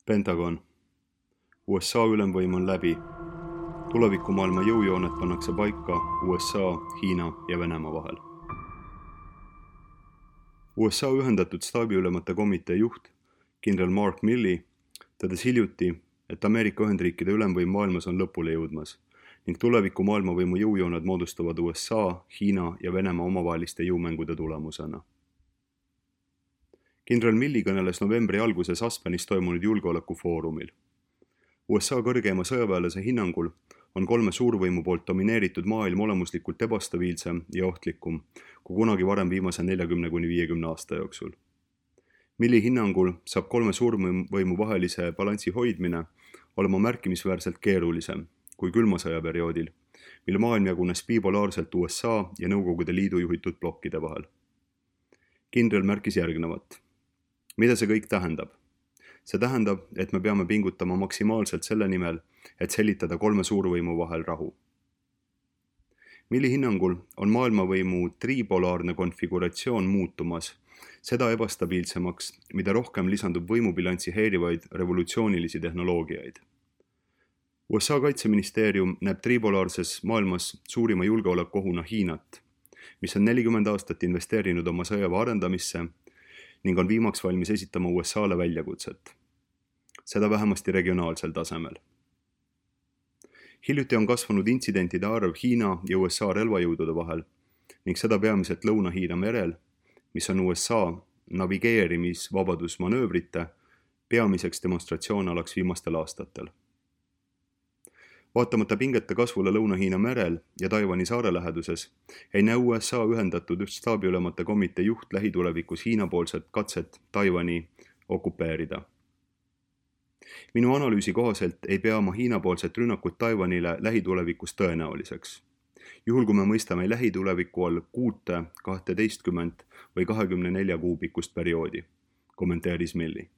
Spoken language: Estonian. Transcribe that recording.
Pentagon. USA ülemvõim on läbi. Tulevikumaailma jõujooned pannakse paika USA, Hiina ja Venemaa vahel. USA ühendatud staabiülemate komitee juht, kindral Mark Milley, tõdes hiljuti, et Ameerika Ühendriikide ülemvõim maailmas on lõpule jõudmas ning tuleviku maailmavõimu jõujooned moodustavad USA, Hiina ja Venemaa omavaheliste jõumängude tulemusena. Kindral Milley kõneles novembri alguses Aspenis toimunud julgeolekufoorumil. USA kõrgeima sõjaväelase hinnangul on kolme suurvõimu poolt domineeritud maailm olemuslikult ebastabiilsem ja ohtlikum kui kunagi varem viimase 40–50 aasta jooksul. Milley hinnangul saab kolme suurvõimu vahelise balansi hoidmine olema märkimisväärselt keerulisem kui külma sõja perioodil, mil maailm jagunes bipolaarselt USA ja Nõukogude Liidu juhitud blokkide vahel. Kindral märkis järgnevat. Mida see kõik tähendab? See tähendab, et me peame pingutama maksimaalselt selle nimel, et säilitada kolme suurvõimu vahel rahu. Milley hinnangul on maailmavõimu tripolaarne konfiguratsioon muutumas, seda ebastabiilsemaks, mida rohkem lisandub võimubilanssi häirivaid revolutsioonilisi tehnoloogiaid. USA kaitseministeerium näeb tripolaarses maailmas suurima julgeolekuohuna Hiinat, mis on 40 aastat investeerinud oma sõjaväe arendamisse ning on viimaks valmis esitama USA-le väljakutset. Seda vähemasti regionaalsel tasemel. Hiljuti on kasvanud intsidentide arv Hiina ja USA relvajõudude vahel ning seda peamiselt Lõuna-Hiina merel, mis on USA navigeerimisvabadusmanöövrite peamiseks demonstratsioonalaks viimastel aastatel. Vaatamata pingete kasvule Lõuna-Hiina merel ja Taiwani saare läheduses ei näe USA ühendatud staabiülemate komitee juht lähitulevikus Hiina-poolset katset Taiwani okupeerida. Minu analüüsi kohaselt ei pea ma Hiina-poolset rünnakut Taiwanile lähitulevikus tõenäoliseks. Juhul kui me mõistame lähituleviku all 6, 12 või 24 kuu pikkust perioodi, kommenteeris Milley.